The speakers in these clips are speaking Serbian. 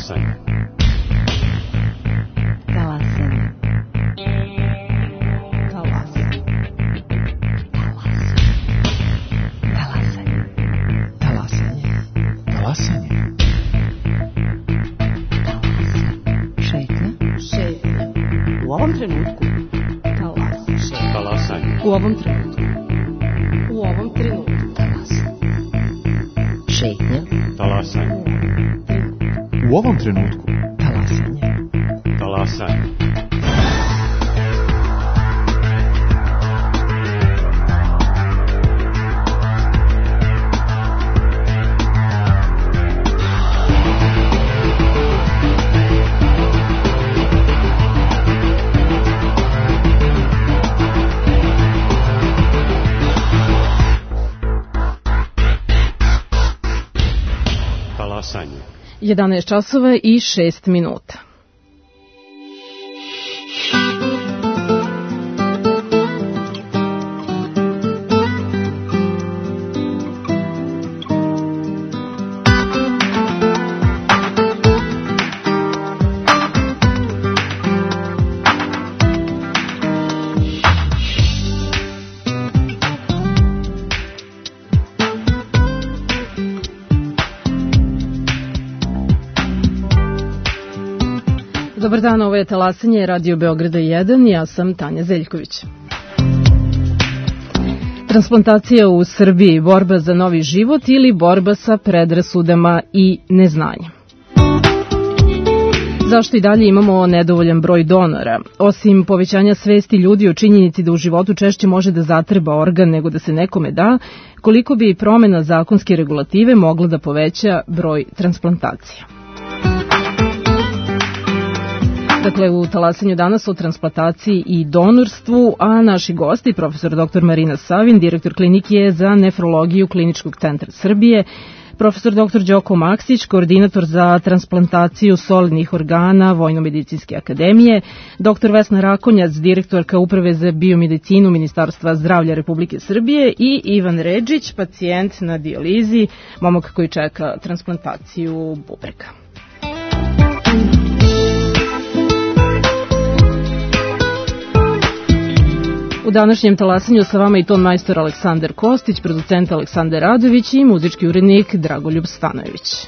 Talasanje. Talasanje. Talasanje. Talasanje. Talasanje. Talasanje. Šetnja. U ovom trenutku. Talasanje. U ovom trenutku. U ovom trenutku. Šetnja. Talasanje. U ovom trenutku. Talasanje. Talasanje. Talasanje. 11 časova i 6 minuta. Dobar dan, ovo je Talasanje, Radio Beograda 1, ja sam Tanja Zeljković. Transplantacija u Srbiji, borba za novi život ili borba sa predrasudama i neznanjem? Zašto i dalje imamo nedovoljan broj donora? Osim povećanja svesti ljudi o činjenici da u životu češće može da zatreba organ nego da se nekome da, koliko bi promena zakonske regulative mogla da poveća broj transplantacija? Dakle, u Talasanju danas o transplantaciji i donorstvu, a naši gosti, profesor dr. Marina Savin, direktor klinike za nefrologiju Kliničkog centra Srbije, profesor dr. Đoko Maksić, koordinator za transplantaciju solidnih organa Vojno-medicinske akademije, dr. Vesna Rakonjac, direktorka Uprave za biomedicinu Ministarstva zdravlja Republike Srbije i Ivan Redžić, pacijent na dijalizi, momak koji čeka transplantaciju bubrega. U današnjem Talasanju sa vama i ton majstor Aleksandar Kostić, producent Aleksandar Radović i muzički urednik Dragoljub Stanojević.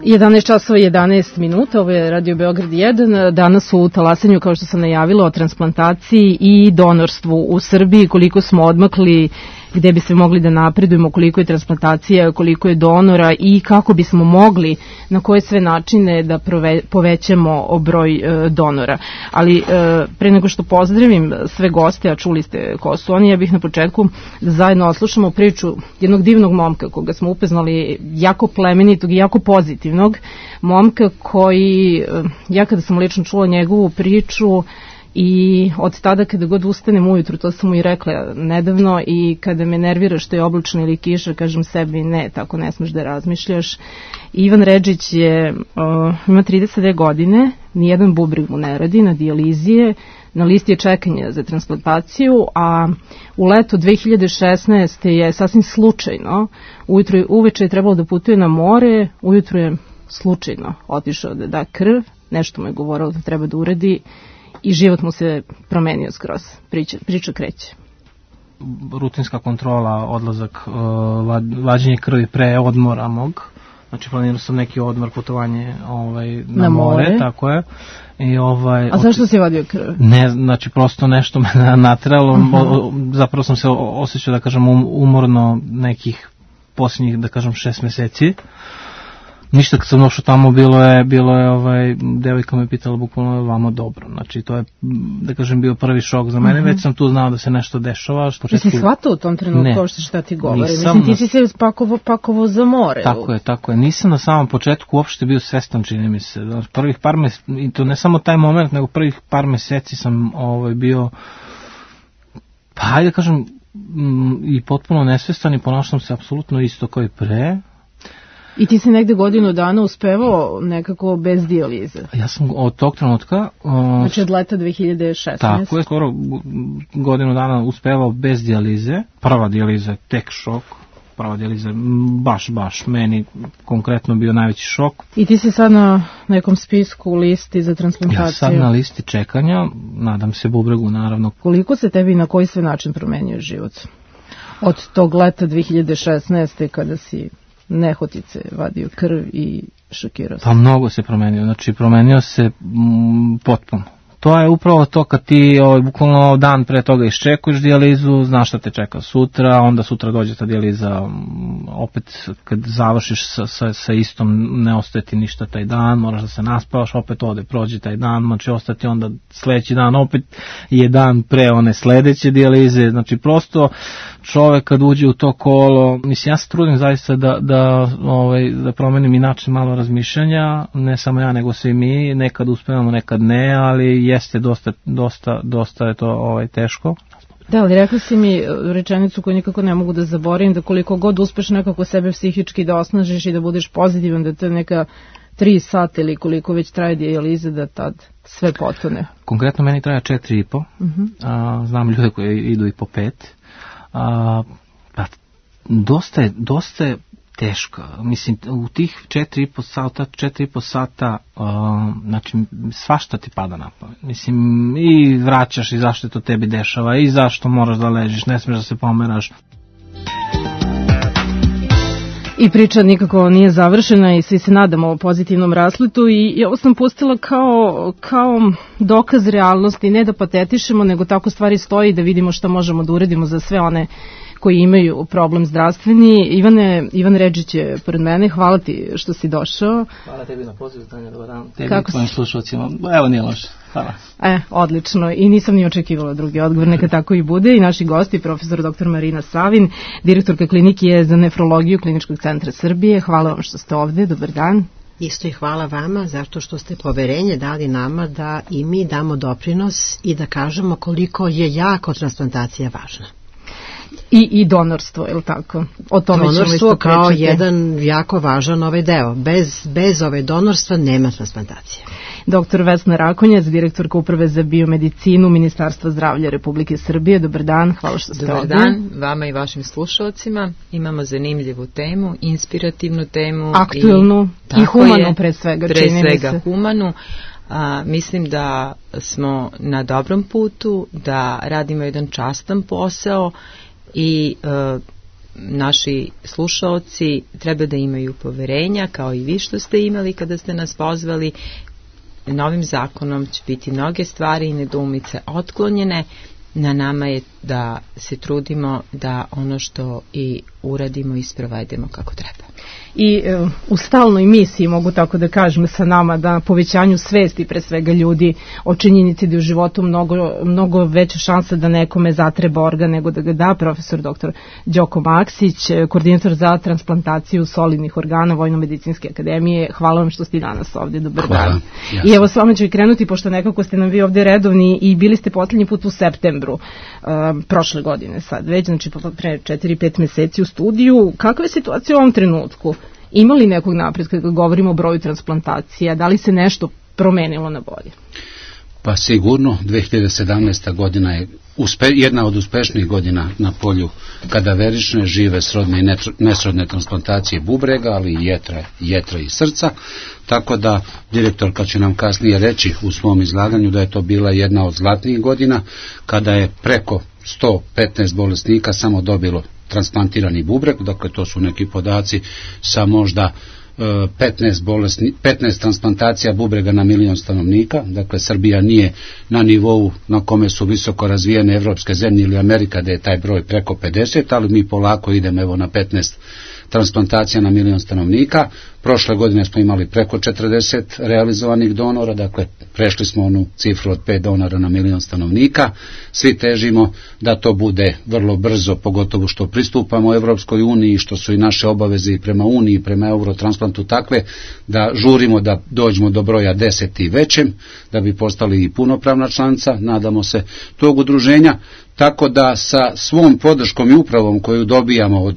11 časova i 11 minuta, ovo je Radio Beograd 1. Danas u talasanju, kao što sam najavila, o transplantaciji i donorstvu u Srbiji, koliko smo odmakli, gde bi se mogli da napredujemo, koliko je transplantacija, koliko je donora i kako bismo mogli, na koje sve načine da povećamo broj donora. Ali pre nego što pozdravim sve goste, a čuli ste ko su oni, ja bih na početku da zajedno oslušamo priču jednog divnog momka koga smo upoznali, jako plemenitog i jako pozitivnog momka koji, ja kada sam lično čula njegovu priču, i od tada kada god ustanem ujutru, to sam mu i rekla nedavno, i kada me nervira što je oblačno ili kiša, kažem sebi ne, tako ne smeš da razmišljaš. Ivan Redžić ima 32 godine, nijedan bubreg mu ne radi, na dijalizije, na listi je čekanja za transplantaciju, a u leto 2016. je sasvim slučajno, uveče je trebalo da putuje na more, ujutru je slučajno otišao da da krv, nešto mu je govorilo da treba da uradi, i život mu se promenio skroz. Priča kreće. Rutinska kontrola, odlazak, vađenje krvi pre odmora mog. Znači planirao sam neki odmor, putovanje na more, tako je. A zašto si vadio krv? Ne, znači prosto nešto me nateralo. Zapravo sam se osjećao, da kažem, umorno nekih posljednjih, da kažem, 6 meseci. Ništa, kad sam došao tamo, bilo je devojka me pitala bukvalno vama dobro. Znači, to je, da kažem, bio prvi šok za mene. Već sam tu znao da se nešto dešava. Ti si shvatao u tom trenutku šta ti govori? Mislim, ti si se pakovo za more. Tako je. Nisam na samom početku uopšte bio svestan, čini mi se. Prvih par meseci, i to ne samo taj moment, nego prvih par meseci sam bio, pa hajde kažem, i potpuno nesvestan i ponašam se apsolutno isto kao i pre. I ti si negde godinu dana uspevao nekako bez dijalize? Ja sam od tog trenutka... Znači od leta 2016. Tako je, skoro godinu dana uspevao bez dijalize. Prva dijaliza je tek šok. Prva dijaliza je baš meni konkretno bio najveći šok. I ti si sad na nekom spisku, listi za transplantaciju? Ja sam na listi čekanja, nadam se bubregu naravno. Koliko se tebi na koji sve način promenio život? Od tog leta 2016. kada si nehotice vadio krv i šokirao se. Pa mnogo se promenio, znači promenio se potpuno. To je upravo to kad ti bukvalno dan pre toga iščekuješ dijalizu, znaš šta te čeka sutra, onda sutra dođe ta dijaliza, opet kad završiš sa istom ne ostaje ti ništa taj dan, moraš da se naspavaš, opet prođe taj dan, znači ostati onda sledeći dan, opet je dan pre one sledeće dijalize, znači prosto čovek kad uđe u to kolo, mislim ja se trudim zaista da promenim i način malo razmišljanja, ne samo ja nego svi mi, nekad uspevamo, nekad ne, ali jeste dosta je to teško. Da, ali rekli si mi rečenicu koju nikako ne mogu da zaboravim, da koliko god uspeš nekako sebe psihički da osnažiš i da budeš pozitivan, da to je neka 3 sata ili koliko već traje dijaliza, da tad sve potone. Konkretno meni traja 4,5, znam ljude koji idu i po 5, dosta je teško. Mislim, u tih 4,5 sata, znači, svašta ti pada na pamet. Mislim, i vraćaš i zašto to tebi dešava, i zašto moraš da ležiš, ne smiješ da se pomeraš. I priča nikako nije završena i svi se nadamo o pozitivnom rasletu i ovo sam pustila kao dokaz realnosti, ne da patetišemo, nego tako stvari stoji, da vidimo šta možemo da uradimo za sve one koji imaju problem zdravstveni. Ivan Redžić je pored mene, hvala ti što si došao. Hvala tebi na pozivu, Tanja, dobar dan. Tebi i tvojim slušalcima, evo nije loše, hvala. Odlično, i nisam ni očekivala drugi odgovor, neka tako i bude. I naši gosti, profesor dr. Marina Savin, direktorka klinike za nefrologiju Kliničkog centra Srbije. Hvala vam što ste ovde, dobar dan. Isto i hvala vama zato što ste poverenje dali nama da i mi damo doprinos i da kažemo koliko je jako transplantacija važna. I donorstvo, je li tako? O tome donorstvo kao jedan jako važan deo. Bez ove donorstva nema transplantacije. Dr. Vesna Rakonjac, direktorka Uprave za biomedicinu Ministarstva zdravlja Republike Srbije. Dobar dan, hvala što ste ovdje. Dobar dan, vama i vašim slušalcima. Imamo zanimljivu temu, inspirativnu temu. Aktuelnu i humanu pre svega. Pre svega humanu. Mislim da smo na dobrom putu, da radimo jedan častan posao i naši slušaoci treba da imaju poverenja, kao i vi što ste imali kada ste nas pozvali. Novim zakonom će biti mnoge stvari i nedoumice otklonjene. Na nama je da se trudimo da ono što i uradimo i sprovedemo kako treba. I u stalnoj misiji, mogu tako da kažem, sa nama da povećanju svesti pre svega ljudi o činjenici da je u životu mnogo veća šansa da nekome zatreba organ nego da ga da. Profesor dr. Đoko Maksić, koordinator za transplantaciju solidnih organa Vojno-medicinske akademije. Hvala vam što ste danas ovdje. Dobar dan. I evo s vama ću i krenuti, pošto nekako ste nam vi ovdje redovni i bili ste poslednji put u septembru prošle godine sad već, znači pre 4-5 meseci u studiju. Kakva je situacija u ovom trenutku? Ima li nekog napretka kada govorimo o broju transplantacija? Da li se nešto promenilo na bolje? Pa sigurno, 2017. godina je jedna od uspešnijih godina na polju kadaverične, žive, srodne i nesrodne transplantacije bubrega, ali i jetra i srca. Tako da direktorka će nam kasnije reći u svom izlaganju da je to bila jedna od zlatnijih godina, kada je preko 115 bolesnika samo dobilo transplantirani bubreg, dakle to su neki podaci sa možda 15 transplantacija bubrega na milion stanovnika. Dakle, Srbija nije na nivou na kome su visoko razvijene evropske zemlje ili Amerika, da je taj broj preko 50, ali mi polako idemo evo na 15 transplantacija na milion stanovnika. Prošle godine smo imali preko 40 realizovanih donora, dakle prešli smo onu cifru od 5 donora na milion stanovnika. Svi težimo da to bude vrlo brzo, pogotovo što pristupamo Evropskoj uniji, što su i naše obaveze i prema Uniji, prema Eurotransplantu takve, da žurimo da dođemo do broja 10 i većem, da bi postali i punopravna članica, nadamo se, tog udruženja. Tako da sa svom podrškom i upravom koju dobijamo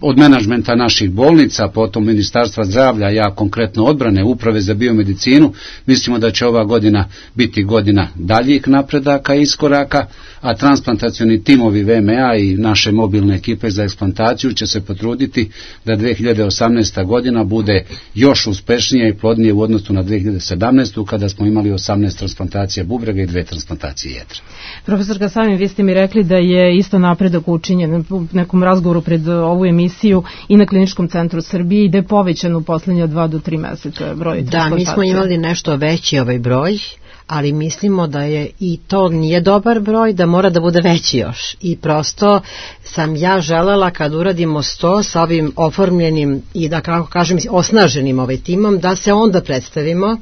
od menadžmenta naših bolnica, potom Ministarstva zdravlja, ja konkretno odbrane, Uprave za biomedicinu, mislimo da će ova godina biti godina daljih napredaka i iskoraka, a transplantacioni timovi VMA i naše mobilne ekipe za eksplantaciju će se potruditi da 2018. godina bude još uspešnija i plodnije u odnosu na 2017. kada smo imali 18 transplantacija bubrega i 2 transplantacije jetra. Profesorka Savin, vi ste mi rekli da je isto napredak učinjen u nekom razgovoru pred ovu emisiju i na Kliničkom centru Srbije i da je povećan u poslednje 2 do 3 meseca broj transplantacija. Da, mi smo imali nešto veći ovaj broj, ali mislimo da je i to nije dobar broj, da mora da bude veći još. I prosto sam ja želela kad uradimo 100 sa ovim oformljenim i da kako kažem osnaženim ovaj timom, da se onda predstavimo,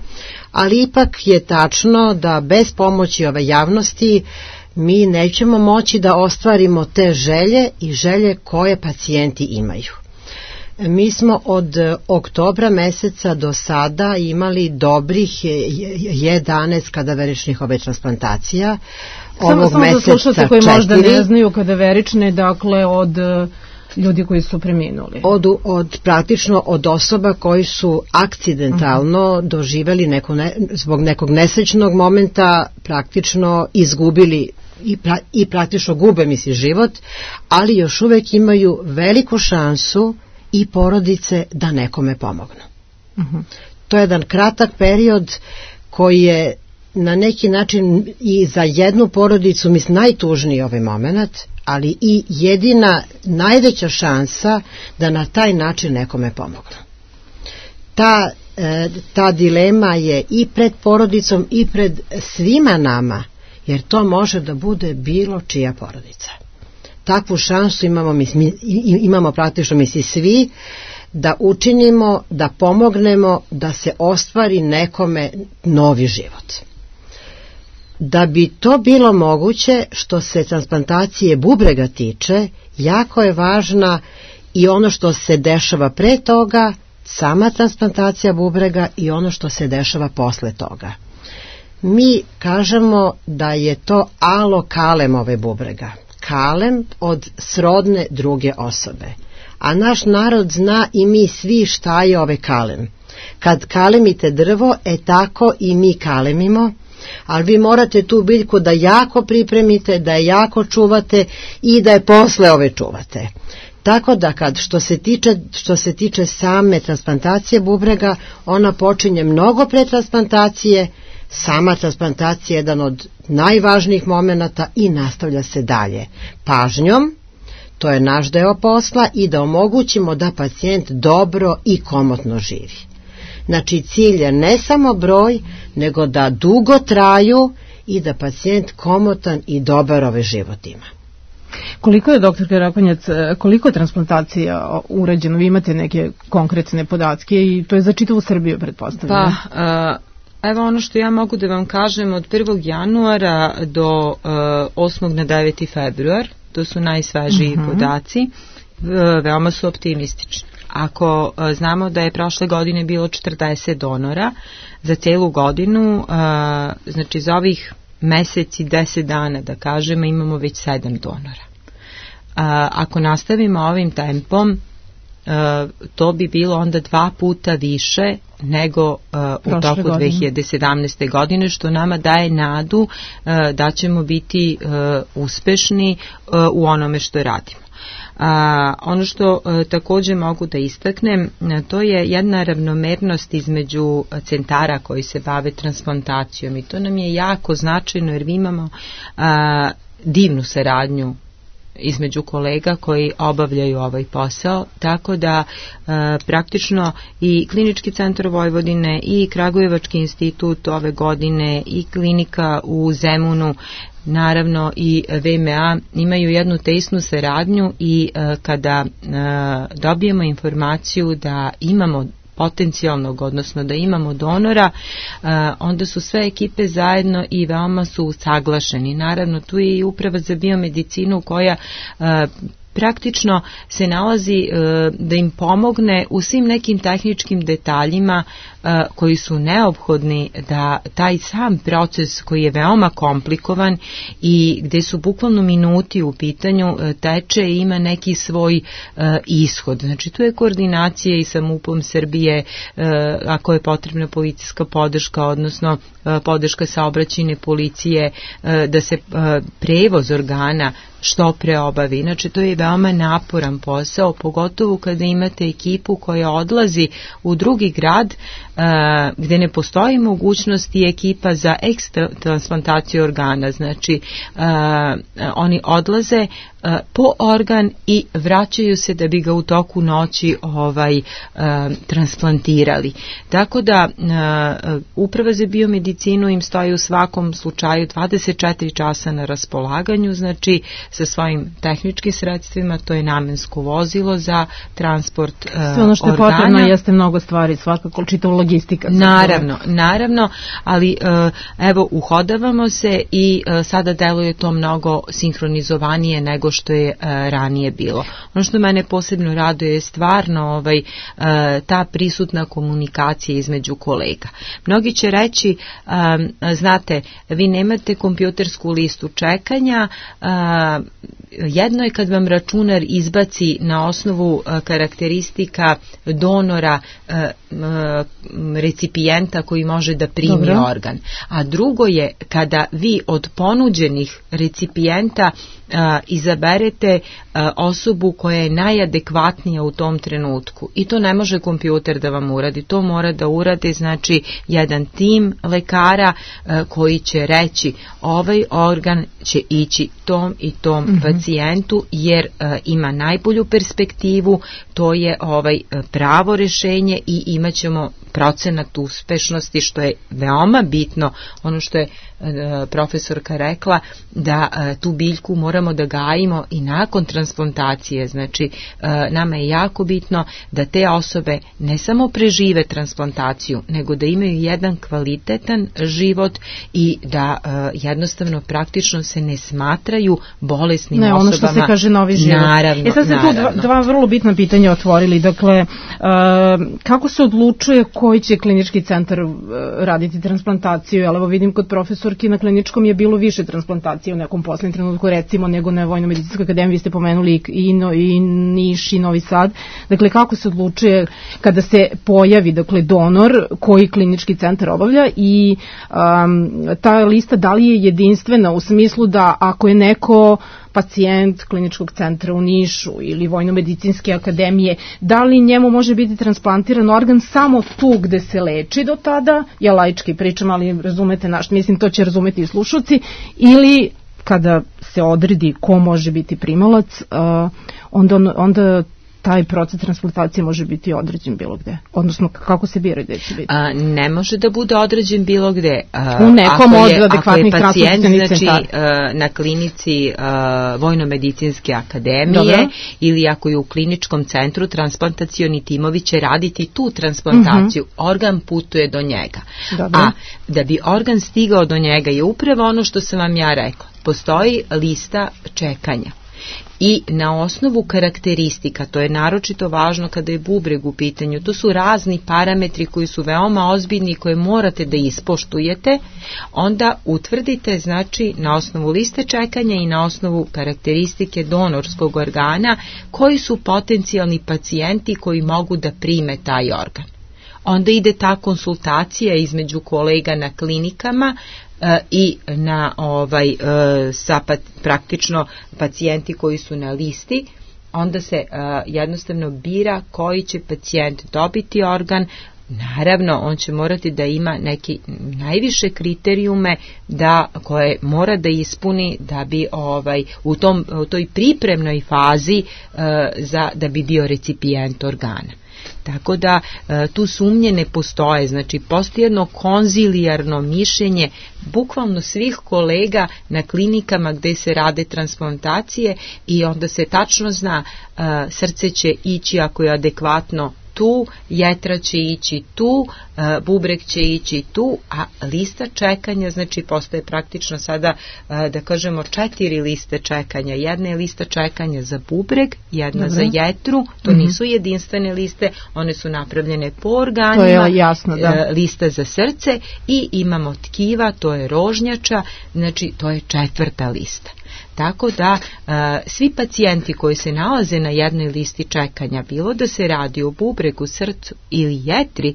ali ipak je tačno da bez pomoći ove javnosti mi nećemo moći da ostvarimo te želje i želje koje pacijenti imaju. Mi smo od oktobra meseca do sada imali dobrih 11 kadaveričnih transplantacija. Samo za slušalce koji možda ne znaju kadaverične, dakle od ljudi koji su preminuli. Praktično od osoba koji su akcidentalno doživeli zbog nekog nesrećnog momenta praktično izgubili i praktično gube život, ali još uvek imaju veliku šansu i porodice da nekome pomognu. To je jedan kratak period koji je na neki način i za jednu porodicu najtužniji ovaj moment, ali i jedina najveća šansa da na taj način nekome pomognu. Ta dilema je i pred porodicom i pred svima nama, jer to može da bude bilo čija porodica. Takvu šansu imamo praktično svi da učinimo, da pomognemo da se ostvari nekome novi život. Da bi to bilo moguće, što se transplantacije bubrega tiče, jako je važna i ono što se dešava pre toga, sama transplantacija bubrega i ono što se dešava posle toga. Mi kažemo da je to alokalem ove bubrega. Kalem od srodne druge osobe. A naš narod zna i mi svi šta je ovaj kalem. Kad kalemite drvo, tako i mi kalemimo, ali vi morate tu biljku da jako pripremite, da je jako čuvate i da je posle ove čuvate. Tako da što se tiče same transplantacije bubrega, ona počinje mnogo pre transplantacije, sama transplantacija je jedan od najvažnijih momenata i nastavlja se dalje. Pažnjom, to je naš deo posla, i da omogućimo da pacijent dobro i komotno živi. Znači, cilj je ne samo broj, nego da dugo traju i da pacijent komotan i dobar život ima. Koliko je, doktorka Rakonjac, koliko je transplantacija urađeno? Vi imate neke konkretne podatke i to je za čitavu Srbiju, pretpostavljam. Pa, evo ono što ja mogu da vam kažem, od 1. januara do 8. na 9. februar, to su najsvežiji podaci, veoma su optimistični. Ako znamo da je prošle godine bilo 40 donora za celu godinu, znači za ovih mesec i 10 dana, da kažemo, imamo već 7 donora. Ako nastavimo ovim tempom, to bi bilo onda 2 puta više nego u toku 2017. godine, što nama daje nadu da ćemo biti uspešni u onome što radimo. Ono što također mogu da istaknem, to je jedna ravnomernost između centara koji se bave transplantacijom, i to nam je jako značajno, jer mi imamo divnu saradnju između kolega koji obavljaju ovaj posao, tako da praktično i Klinički centar Vojvodine i Kragujevački institut ove godine i klinika u Zemunu, naravno i VMA, imaju jednu tesnu saradnju, i kada dobijemo informaciju da imamo potencijalnog, odnosno da imamo donora, onda su sve ekipe zajedno i veoma su saglašeni. Naravno, tu je i Uprava za biomedicinu koja praktično se nalazi da im pomogne u svim nekim tehničkim detaljima koji su neophodni da taj sam proces, koji je veoma komplikovan i gde su bukvalno minuti u pitanju, teče i ima neki svoj ishod. Znači, tu je koordinacija i sa MUP-om Srbije, ako je potrebna policijska podrška, odnosno podrška saobraćajne policije, da se prevoz organa što pre obavi. Inače, to je veoma naporan posao, pogotovo kada imate ekipu koja odlazi u drugi grad gde ne postoji mogućnost i ekipa za ekstra transplantaciju organa. Znači, oni odlaze po organ i vraćaju se da bi ga u toku noći transplantirali. Tako da Uprava za biomedicinu im stoji u svakom slučaju 24 časa na raspolaganju, znači sa svojim tehničkim sredstvima, to je namensko vozilo za transport organa. Sve ono što je potrebno jeste mnogo stvari, svakako čitava logistika. Naravno, ali evo, uhodavamo se i sada deluje to mnogo sinhronizovanije nego što je ranije bilo. Ono što mene posebno raduje je stvarno ta prisutna komunikacija između kolega. Mnogi će reći, znate, vi nemate kompjutersku listu čekanja, jedno je kad vam računar izbaci na osnovu karakteristika donora recipijenta koji može da primi organ. A drugo je kada vi od ponuđenih recipijenta izaberete osobu koja je najadekvatnija u tom trenutku. I to ne može kompjuter da vam uradi. To mora da uradi, znači, jedan tim lekara koji će reći ovaj organ će ići tom i tom pacijentu, jer ima najbolju perspektivu, to je pravo rešenje i imat ćemo procenat uspešnosti, što je veoma bitno. Ono što je profesorka rekla, da tu biljku moramo da gajimo i nakon transplantacije. Znači, nama je jako bitno da te osobe ne samo prežive transplantaciju, nego da imaju jedan kvalitetan život i da jednostavno praktično se ne smatraju bolesnim osobama. Ono što se kaže novi život. Naravno. Sad ste tu dva vrlo bitna pitanja otvorili. Dakle, kako se odlučuje koji će klinički centar raditi transplantaciju? Evo vidim kod profesorki na kliničkom je bilo više transplantacije u nekom poslednjem trenutku, recimo, nego na Vojno-medicinskoj akademiji. Vi ste pomenuli i Niš i Novi Sad. Dakle, kako se odlučuje kada se pojavi, dakle, donor koji klinički centar obavlja, i ta lista da li je jedinstvena u smislu da ako je neko pacijent kliničkog centra u Nišu ili Vojno-medicinske akademije, da li njemu može biti transplantiran organ samo tu gde se leči do tada, ja laički pričam, ali razumete mislim, to će razumeti i slušalci, ili kada se odredi ko može biti primalac, onda taj proces transplantacije može biti određen bilo gde? Odnosno, kako se bira gde će biti? Ne može da bude određen bilo gde. U nekom od adekvatnih transplantacionih centara. Na klinici Vojno-medicinske akademije ili ako je u kliničkom centru, transplantacioni timovi će raditi tu transplantaciju. Organ putuje do njega. A da bi organ stigao do njega je upravo ono što sam vam ja rekla. Postoji lista čekanja. I na osnovu karakteristika, to je naročito važno kada je bubreg u pitanju, to su razni parametri koji su veoma ozbiljni i koje morate da ispoštujete, onda utvrdite, znači, na osnovu liste čekanja i na osnovu karakteristike donorskog organa, koji su potencijalni pacijenti koji mogu da prime taj organ. Onda ide ta konsultacija između kolega na klinikama i na praktično pacijenti koji su na listi, onda se jednostavno bira koji će pacijent dobiti organ. Naravno, on će morati da ima neki najviše kriterijume koje mora da ispuni da bi u toj pripremnoj fazi da bi bio recipijent organa. Tako da tu sumnje ne postoje, znači postoji jedno konzilijarno mišljenje bukvalno svih kolega na klinikama gde se rade transplantacije i onda se tačno zna srce će ići ako je adekvatno tu, jetra će ići tu, bubreg će ići tu, a lista čekanja, znači postoje praktično sada, da kažemo, 4 liste čekanja. Jedna je lista čekanja za bubreg, jedna za jetru, to nisu jedinstvene liste, one su napravljene po organima, to je jasno, lista za srce i imamo tkiva, to je rožnjača, znači to je 4. lista. Tako da svi pacijenti koji se nalaze na jednoj listi čekanja, bilo da se radi o bubregu, srcu ili jetri,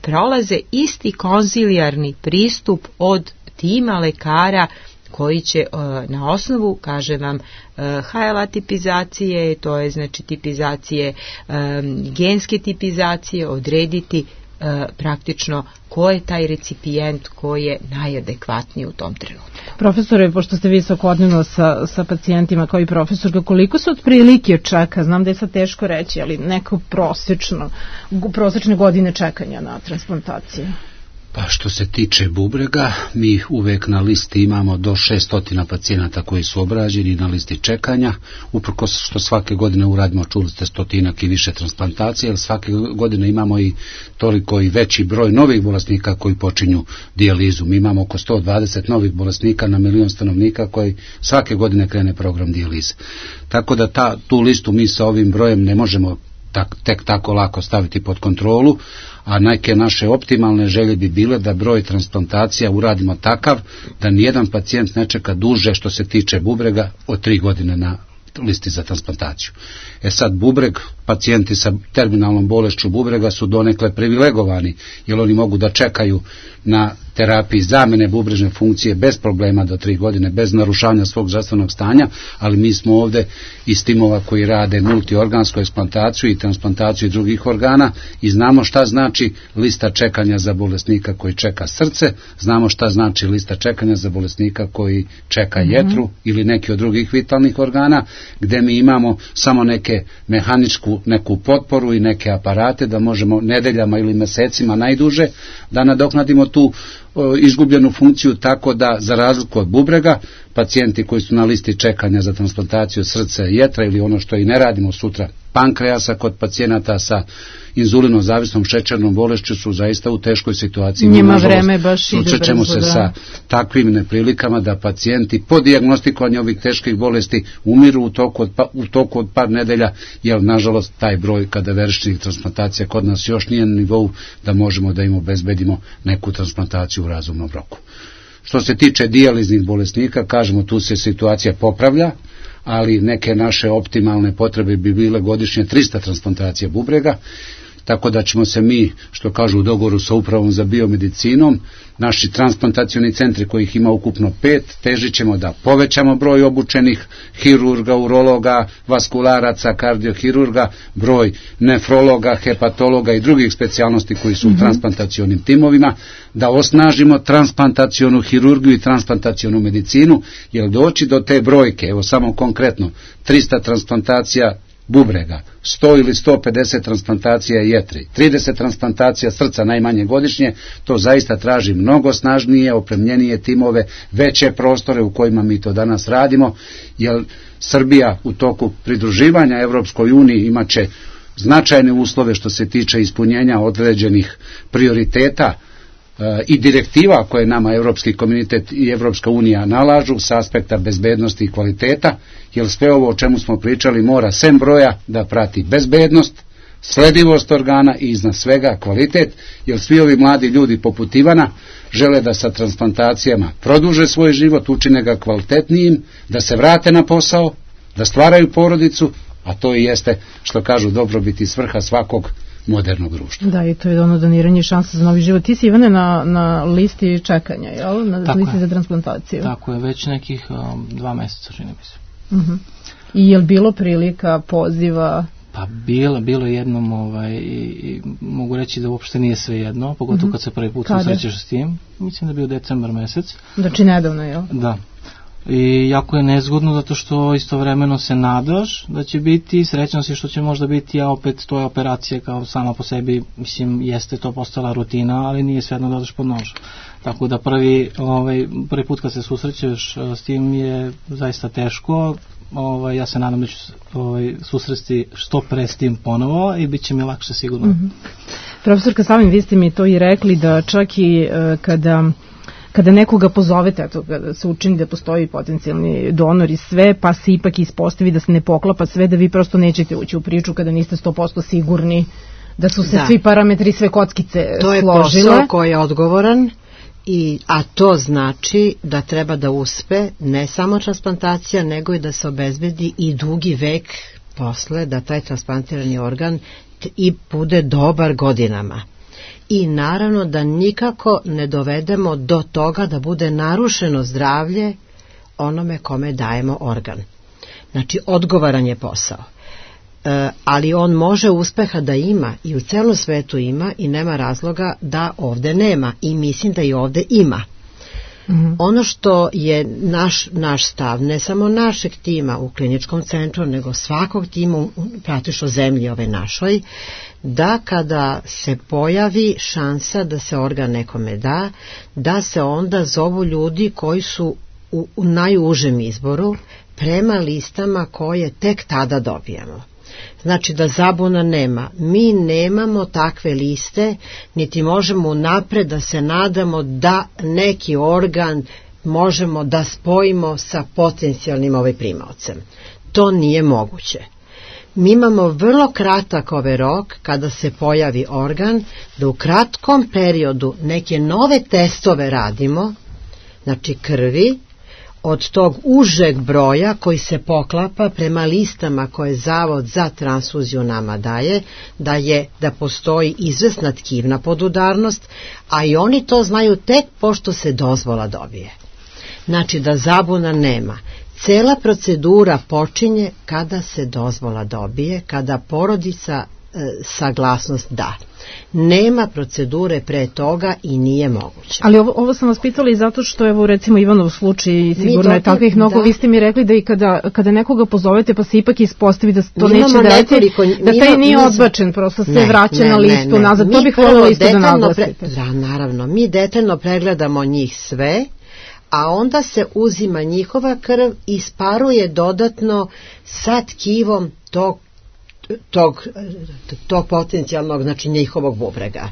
prolaze isti konzilijarni pristup od tima lekara koji će na osnovu, kažem vam, HLA tipizacije, to je znači tipizacije, genske tipizacije, odrediti praktično ko je taj recipijent koji je najadekvatniji u tom trenutku. Profesore, pošto ste vi svakodnevno sa pacijentima kao i profesorka, koliko se otprilike čeka, znam da je sad teško reći, ali neko prosečne godine čekanja na transplantaciju? Pa što se tiče bubrega, mi uvek na listi imamo do 600 pacijenata koji su obrađeni na listi čekanja, uprkos što svake godine uradimo, čuli ste, 100 i više transplantacije, jer svake godine imamo i toliko i veći broj novih bolesnika koji počinju dijalizu. Mi imamo oko 120 novih bolesnika na 1 milion stanovnika koji svake godine krene program dijalize. Tako da tu listu mi sa ovim brojem ne možemo tek tako lako staviti pod kontrolu, a neke naše optimalne želje bi bile da broj transplantacija uradimo takav da nijedan pacijent ne čeka duže što se tiče bubrega od 3 godine na listi za transplantaciju. Sad bubreg, pacijenti sa terminalnom bolešću bubrega su donekle privilegovani, jer oni mogu da čekaju na terapiji zamene bubrežne funkcije bez problema do 3 godine, bez narušavanja svog zdravstvenog stanja, ali mi smo ovde iz timova koji rade multiorgansku eksplantaciju i transplantaciju drugih organa i znamo šta znači lista čekanja za bolesnika koji čeka srce, znamo šta znači lista čekanja za bolesnika koji čeka jetru ili neki od drugih vitalnih organa, gde mi imamo samo neku potporu i neke aparate da možemo nedeljama ili mesecima najduže da nadoknadimo tu izgubljenu funkciju, tako da za razliku od bubrega, pacijenti koji su na listi čekanja za transplantaciju srca i jetra ili ono što i ne radimo sutra, pankreasa, kod pacijenata sa inzulinom zavisnom šećernom bolešću su zaista u teškoj situaciji. Njima vreme baš ide brzo. Susrećemo se sa takvim neprilikama da pacijenti po dijagnostikovanju ovih teških bolesti umiru u toku od par nedelja, jer nažalost taj broj kadaveričnih transplantacija kod nas još nije na nivou da možemo da im obezbedimo neku transplantaciju u razumnom roku. Što se tiče dijaliznih bolesnika, kažemo, tu se situacija popravlja, ali neke naše optimalne potrebe bi bile godišnje 300 transplantacija bubrega tako da ćemo se mi, što kažu u dogovoru sa upravom za biomedicinom, naši transplantacioni centri kojih ima ukupno 5, težit ćemo da povećamo broj obučenih hirurga, urologa, vaskularaca, kardiohirurga, broj nefrologa, hepatologa i drugih specijalnosti koji su u transplantacionim timovima, da osnažimo transplantacionu hirurgiju i transplantacionu medicinu, jer doći do te brojke, evo samo konkretno, 300 transplantacija bubrega, 100 ili 150 transplantacija jetre, 30 transplantacija srca najmanje godišnje, to zaista traži mnogo snažnije, opremljenije timove, veće prostore u kojima mi to danas radimo, jer Srbija u toku pridruživanja Evropskoj uniji imat će značajne uslove što se tiče ispunjenja određenih prioriteta i direktiva koje nama Evropski komunitet i Evropska unija nalažu sa aspekta bezbednosti i kvaliteta, jer sve ovo o čemu smo pričali mora sem broja da prati bezbednost, sledivost organa i iznad svega kvalitet, jer svi ovi mladi ljudi poput Ivana žele da sa transplantacijama produže svoj život, učine ga kvalitetnijim, da se vrate na posao, da stvaraju porodicu, a to i jeste, što kažu, dobrobit i svrha svakog modernog društva. Da, i to je ono doniranje šanse za novi život. Ti si, Ivane, na listi čekanja, jel? Na listi za transplantaciju. Tako je, već nekih 2 meseca, čini mi se. I je li bilo prilika, poziva? Pa bilo jednom i mogu reći da uopšte nije sve jedno, pogotovo kad se prvi put susrećeš s tim. Mislim da je bio decembar mesec. Znači nedavno, jel? Da. I jako je nezgodno zato što istovremeno se nadaš da će biti, srećan si što će možda biti, a opet to je operacija kao sama po sebi, mislim, jeste to postala rutina, ali nije svejedno da odeš pod nož. Tako da prvi put kad se susrećeš s tim je zaista teško. Ja se nadam da ću susresti što pre s tim ponovo i bit će mi lakše sigurno. Profesorka Savin, vi ste mi to i rekli da čak i kada nekoga pozovete, eto, kada se učini da postoji potencijalni donor i sve, pa se ipak ispostavi da se ne poklapa sve, da vi prosto nećete ući u priču kada niste 100% sigurni da su se svi parametri, sve kockice složile. To je posao koji je odgovoran, a to znači da treba da uspe ne samo transplantacija, nego i da se obezbedi i dugi vek posle, da taj transplantirani organ i bude dobar godinama. I naravno da nikako ne dovedemo do toga da bude narušeno zdravlje onome kome dajemo organ. Znači, odgovoran je posao. Ali on može uspeha da ima i u celom svetu ima i nema razloga da ovde nema i mislim da i ovde ima. Ono što je naš stav, ne samo našeg tima u kliničkom centru, nego svakog tima praktično zemlji ove našoj, da kada se pojavi šansa da se organ nekome da se onda zovu ljudi koji su u najužem izboru prema listama koje tek tada dobijamo. Znači da zabuna nema. Mi nemamo takve liste, niti možemo unapred da se nadamo da neki organ možemo da spojimo sa potencijalnim primaocem. To nije moguće. Mi imamo vrlo kratak rok kada se pojavi organ, da u kratkom periodu neke nove testove radimo, znači krvi, od tog užeg broja koji se poklapa prema listama koje Zavod za transfuziju nama daje, da postoji izvesna tkivna podudarnost, a i oni to znaju tek pošto se dozvola dobije. Znači da zabuna nema. Cela procedura počinje kada se dozvola dobije, kada porodica saglasnost da. Nema procedure pre toga i nije moguće. Ali ovo sam vas pitala i zato što, evo, recimo Ivanov slučaj, sigurno je takvih mnogo, vi ste mi rekli da i kada nekoga pozovete pa se ipak ispostavi da to neće da taj nije odbačen, prosto se vraća na listu nazad. To bih voljela isto da naglasite. Da, naravno, mi detaljno pregledamo njih sve, a onda se uzima njihova krv i sparuje dodatno sa tkivom tog potencijalnog, znači njihovog bubrega.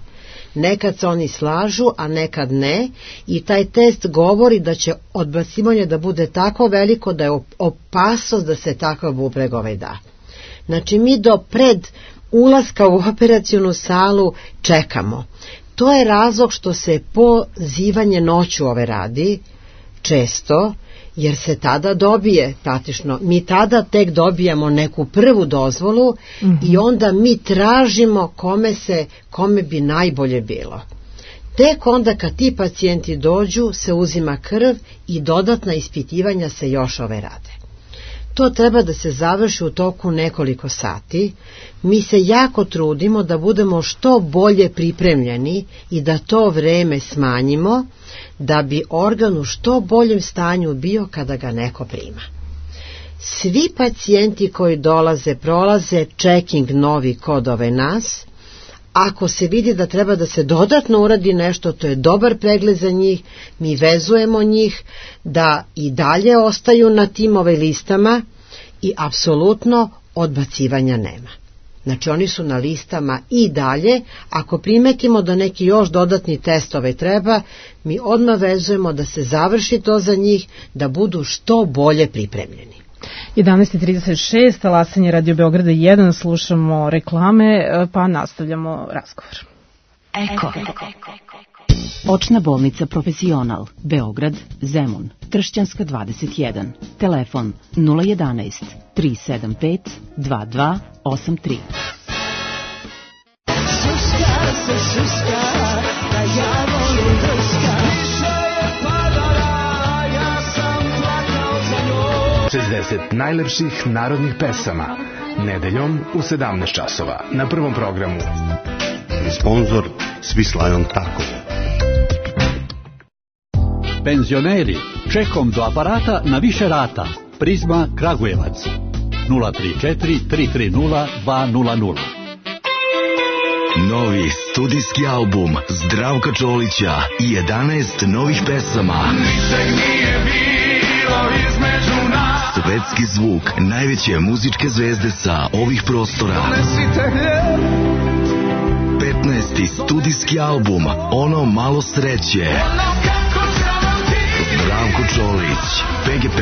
Nekad se oni slažu, a nekad ne, i taj test govori da će odbacivanje da bude tako veliko da je opasnost da se takav bubreg da. Znači mi do pred ulaska u operacionu salu čekamo. To je razlog što se pozivanje noću radi, često, jer se tada dobije praktično, mi tada tek dobijamo neku prvu dozvolu i onda mi tražimo kome bi najbolje bilo. Tek onda kad ti pacijenti dođu se uzima krv i dodatna ispitivanja se još rade. To treba da se završi u toku nekoliko sati. Mi se jako trudimo da budemo što bolje pripremljeni i da to vreme smanjimo, da bi organ u što boljem stanju bio kada ga neko prima. Svi pacijenti koji dolaze prolaze checking novi kod nas. Ako se vidi da treba da se dodatno uradi nešto, to je dobar pregled za njih, mi vezujemo njih da i dalje ostaju na tim listama i apsolutno odbacivanja nema. Znači oni su na listama i dalje, ako primetimo da neki još dodatni testove treba, mi odmah vezujemo da se završi to za njih, da budu što bolje pripremljeni. 11:36, talasanje Radio Beograda 1, slušamo reklame, pa nastavljamo razgovor. Eko. Očna bolnica Profesional, Beograd, Zemun, Tršćanska 21, telefon 011 375 2283. Šuška se šuška, da ja volim drška. Više je padala, ja sam plakao za njom. 60 najlepših narodnih pesama, nedeljom u 17 časova, na Prvom programu. Sponzor Svislajon Tako. Penzioneri, čekom do aparata na više rata. Prizma Kragujevac 034 330 200. Novi studijski album Zdravka Čolića i 11 novih pesama. Ničeg nije bilo između nas. Svetski zvuk najveće muzičke zvezde sa ovih prostora. 15. studijski album Ono malo sreće. Zdravko Čolić, PGP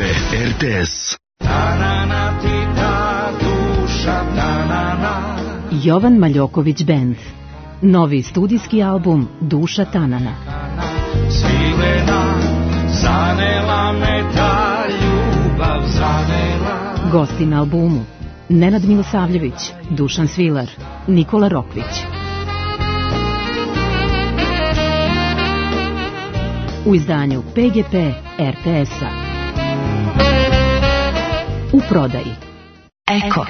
RTS. Jovan Maljoković Band. Novi studijski album Duša Tanana. Svilena, zanela me ta ljubav, zanela. Gosti na albumu Nenad Milosavljević, Dušan Svilar, Nikola Rokvić. U izdanju PGP RTS-a. U prodaji Eko.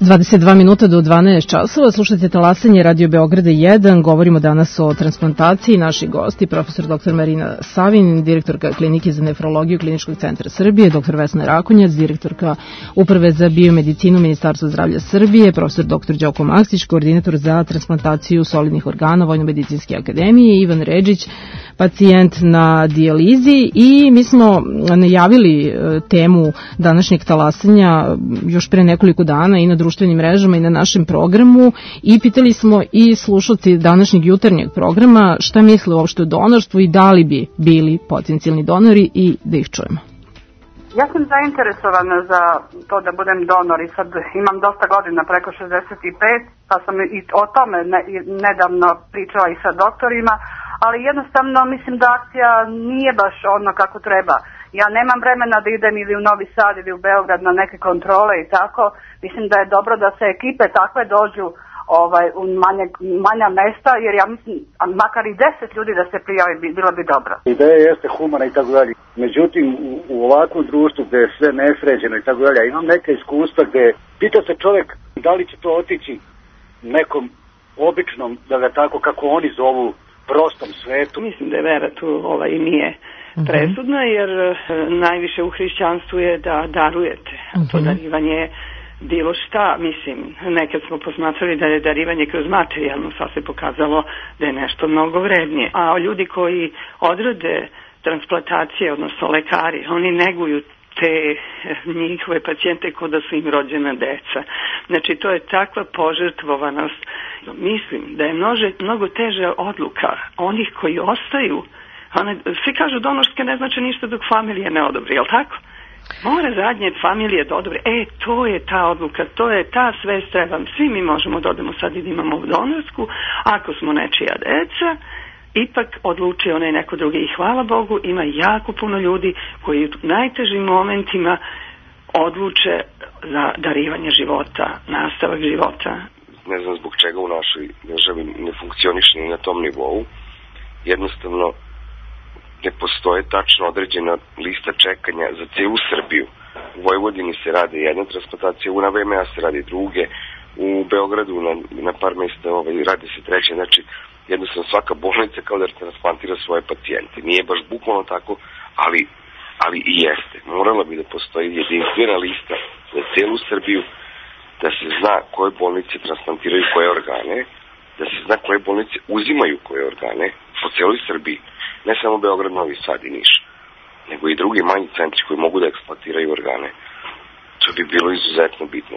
22 minuta do 12 časova, slušajte talasanje Radio Beograda 1, govorimo danas o transplantaciji. Naši gosti, profesor dr. Marina Savin, direktorka klinike za nefrologiju Kliničkog centra Srbije, dr. Vesna Rakonjac, direktorka Uprave za biomedicinu Ministarstva zdravlja Srbije, profesor dr. Đoko Maksić, koordinator za transplantaciju solidnih organa Vojno-medicinske akademije, Ivan Redžić, pacijent na dijalizi, i mi smo najavili temu današnjeg talasanja još pre nekoliko dana i na društvenim mrežama i na našem programu i pitali smo i slušalci današnjeg jutarnjeg programa šta misle uopšte o donorstvu i da li bi bili potencijalni donori i da ih čujemo. Ja sam zainteresovana za to da budem donor i sad imam dosta godina, preko 65, pa sam i o tome nedavno pričala i sa doktorima, ali jednostavno mislim da akcija nije baš ono kako treba. Ja nemam vremena da idem ili u Novi Sad ili u Beograd na neke kontrole i tako. Mislim da je dobro da se ekipe takve dođu u manja mesta, jer ja mislim, makar i 10 ljudi da se prijavi, bilo bi dobro. Ideja jeste humana i tako dalje. Međutim, u ovakvom društvu gde je sve nesređeno i tako dalje, imam neke iskustva gde pita se čovjek da li će to otići nekom običnom, da ga tako kako oni zovu, prostom svetu. Mislim da je vera tu i nije presudna, jer najviše u hrišćanstvu je da darujete. To darivanje je bilo šta, mislim, nekad smo posmatrali da je darivanje kroz materijalno, sad se pokazalo da je nešto mnogo vrednije. A ljudi koji odrade transplantacije, odnosno lekari, oni neguju te njihove pacijente kao da su im rođena deca. Znači, to je takva požrtvovanost. Mislim da je mnogo teža odluka onih koji ostaju. Svi kažu donorske ne znači ništa dok familija ne odobri, je li tako? Mora zadnje familije da odobre, to je ta odluka, to je ta svest, treba, svi mi možemo da odemo sad i da imamo donorsku, ako smo nečija deca, ipak odlučio onaj neko drugi i hvala Bogu, ima jako puno ljudi koji u najtežim momentima odluče za darivanje života, nastavak života. Ne znam zbog čega u našoj državi ne funkcioniše ni na tom nivou. Jednostavno ne postoje tačno određena lista čekanja za celu Srbiju. U Vojvodini se rade jedna transplantacija, u VMA se radi druge, u Beogradu na par mesta radi se treće, znači jednostavno svaka bolnica kao da transplantira svoje pacijente. Nije baš bukvalno tako, ali i jeste. Morala bi da postoji jedinstvena lista za celu Srbiju, da se zna koje bolnice transplantiraju koje organe, da se zna koje bolnice uzimaju koje organe po celoj Srbiji, ne samo Beograd, Novi Sad i Niš, nego i drugi manji centri koji mogu da eksploatiraju organe. To bi bilo izuzetno bitno.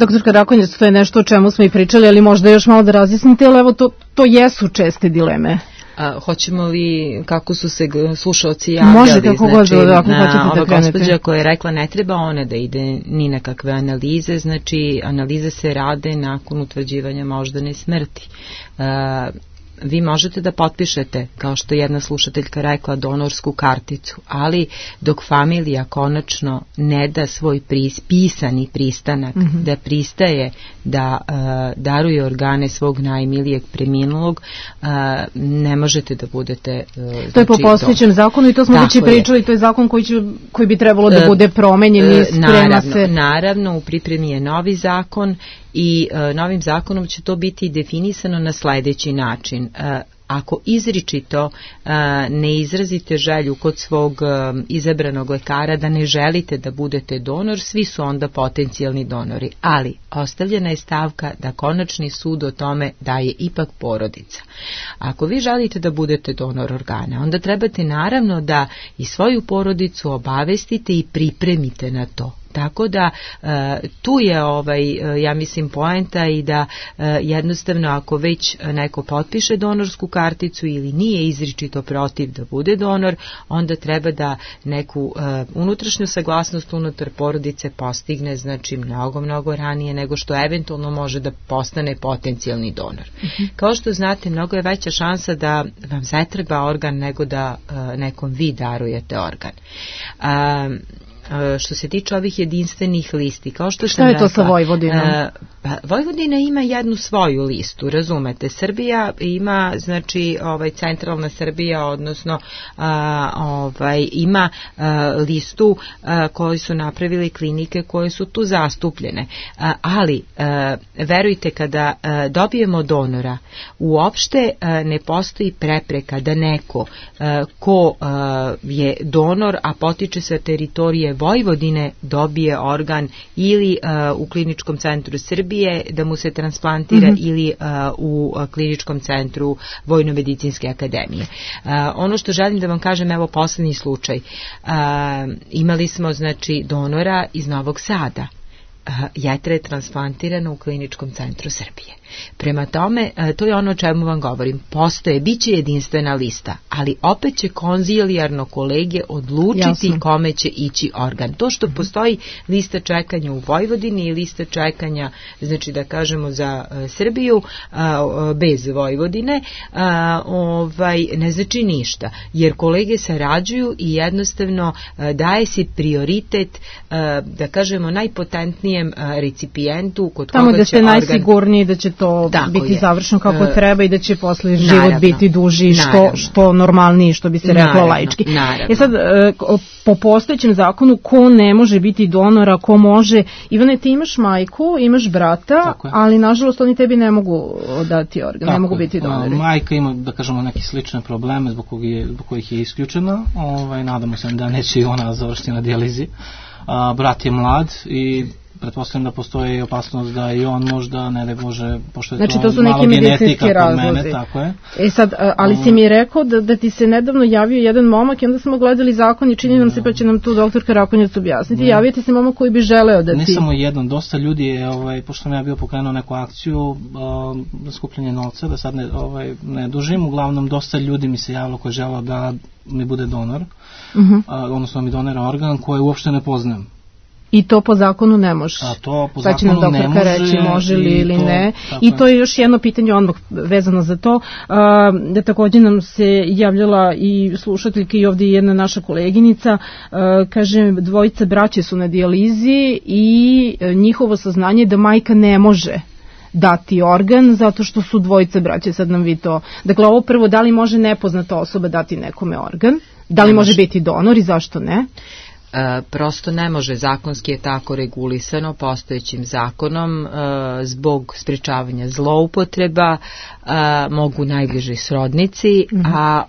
Doktorka Rakonjac, to je nešto o čemu smo i pričali, ali možda još malo da razjasnite, ali evo to jesu česte dileme. Hoćemo li, kako su se slušalci javljali, može kako god, ako hoćete da ova krenete. gospođa koja je rekla ne treba ona da ide ni na kakve analize, znači analize se rade nakon utvrđivanja moždane smrti. Vi možete da potpišete, kao što je jedna slušateljka rekla, donorsku karticu, ali dok familija konačno ne da svoj pisani pristanak, da pristaje da daruje organe svog najmilijeg preminulog, ne možete da budete to je po postojećem zakonu i to smo već i pričali, to je zakon koji bi trebalo da bude promenjen i sprema se. Naravno, u pripremi je novi zakon i novim zakonom će to biti definisano na sledeći način. Ako izričito ne izrazite želju kod svog izabranog lekara da ne želite da budete donor, svi su onda potencijalni donori. Ali ostavljena je stavka da konačni sud o tome daje ipak porodica. Ako vi želite da budete donor organa, onda trebate naravno da i svoju porodicu obavestite i pripremite na to. Tako da tu je ja mislim poenta i da jednostavno ako već neko potpiše donorsku karticu ili nije izričito protiv da bude donor, onda treba da neku unutrašnju saglasnost unutar porodice postigne, znači mnogo ranije nego što eventualno može da postane potencijalni donor. Kao što znate, mnogo je veća šansa da vam zatreba organ nego da nekom vi darujete organ. Što se tiče ovih jedinstvenih listi, kao što sam rekla, to sa Vojvodinom? Vojvodina ima jednu svoju listu, razumete. Srbija ima, znači, centralna Srbija, odnosno ima listu koju su napravili klinike koje su tu zastupljene. Ali, verujte, kada dobijemo donora, uopšte ne postoji prepreka da neko ko je donor, a potiče sa teritorije Vojvodine, dobije organ ili u kliničkom centru Srbije da mu se transplantira ili u kliničkom centru Vojno-medicinske akademije. Ono što želim da vam kažem, evo poslednji slučaj. Imali smo, znači, donora iz Novog Sada. Jetra je transplantirana u kliničkom centru Srbije. Prema tome, to je ono o čemu vam govorim. Postoje, bit će jedinstvena lista, ali opet će konzilijarno kolege odlučiti kome će ići organ. To što postoji lista čekanja u Vojvodini i lista čekanja, znači da kažemo za Srbiju bez Vojvodine, ne znači ništa, jer kolege sarađuju i jednostavno daje se prioritet, da kažemo, najpotentnijem recipijentu kod koga će organ... Tamo da ste najsigurniji da će to biti završeno kako treba i da će posle život biti duži, što normalniji, što bi se reklo laički. Sad, po postojećem zakonu, ko ne može biti donor, a ko može... Ivane, ti imaš majku, imaš brata, ali nažalost oni tebi ne mogu dati organ, ne mogu biti donori. Majka ima, da kažemo, neke slične probleme zbog kojih je isključena. Nadamo se da neće i ona završiti na dijalizi. Brat je mlad i pretpostavljam da postoji opasnost da i on možda, ne da Bože, pošto je znači, to su malo neki genetika kod razlozi. mene, tako je. Sad, ali si mi rekao da ti se nedavno javio jedan momak i onda smo gledali zakon i čini nam se, pa će nam tu doktor Karakonjac objasniti, javio ti se momak koji bi želeo da ti... Ne samo jedan, dosta ljudi je, pošto sam ja bio pokrenuo neku akciju za skupljanje novca, da sad ne dužim, uglavnom dosta ljudi mi se javilo koji žele da mi bude donor, odnosno mi donira organ koji uopšte ne poznajem. I to po zakonu ne može. A to po sad će nam zakonu ne doktorka može. reći može li ili to, ne. I to je još jedno pitanje odmah vezano za to. Da također nam se javljala i slušateljka i ovdje jedna naša koleginica. Kaže, dvojica braće su na dijalizi i njihovo saznanje je da majka ne može dati organ zato što su dvojice braće. Sad nam vi to... Dakle, ovo prvo, da li može nepoznata osoba dati nekome organ? Da li može biti donor i zašto ne? Prosto ne može, zakonski je tako regulisano postojećim zakonom, zbog sprječavanja zloupotreba mogu najbliži srodnici, a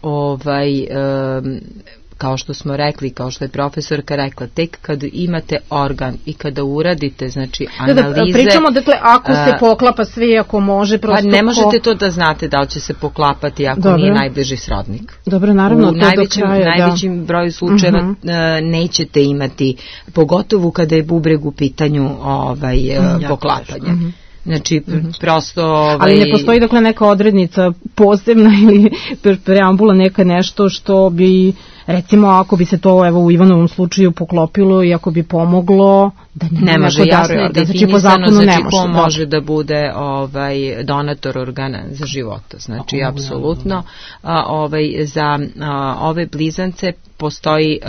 kao što smo rekli, kao što je profesorka rekla, tek kad imate organ i kada uradite, znači, analize... Pričamo, dakle, ako se poklapa sve, ako može, prosto... Pa ne možete to da znate da li će se poklapati ako nije najbliži srodnik. Dobro, naravno, to do kraja, najvećim broju slučajeva nećete imati, pogotovo kada je bubreg u pitanju poklapanja. Znači, prosto... Ali ne postoji, dakle, neka odrednica posebna ili preambula, neka nešto što bi, recimo, ako bi se to u Ivanovom slučaju poklopilo i ako bi pomoglo, da ne može, jasno je definisano, znači ko može da bude donator organa za života. Znači, apsolutno, za ove blizance postoji...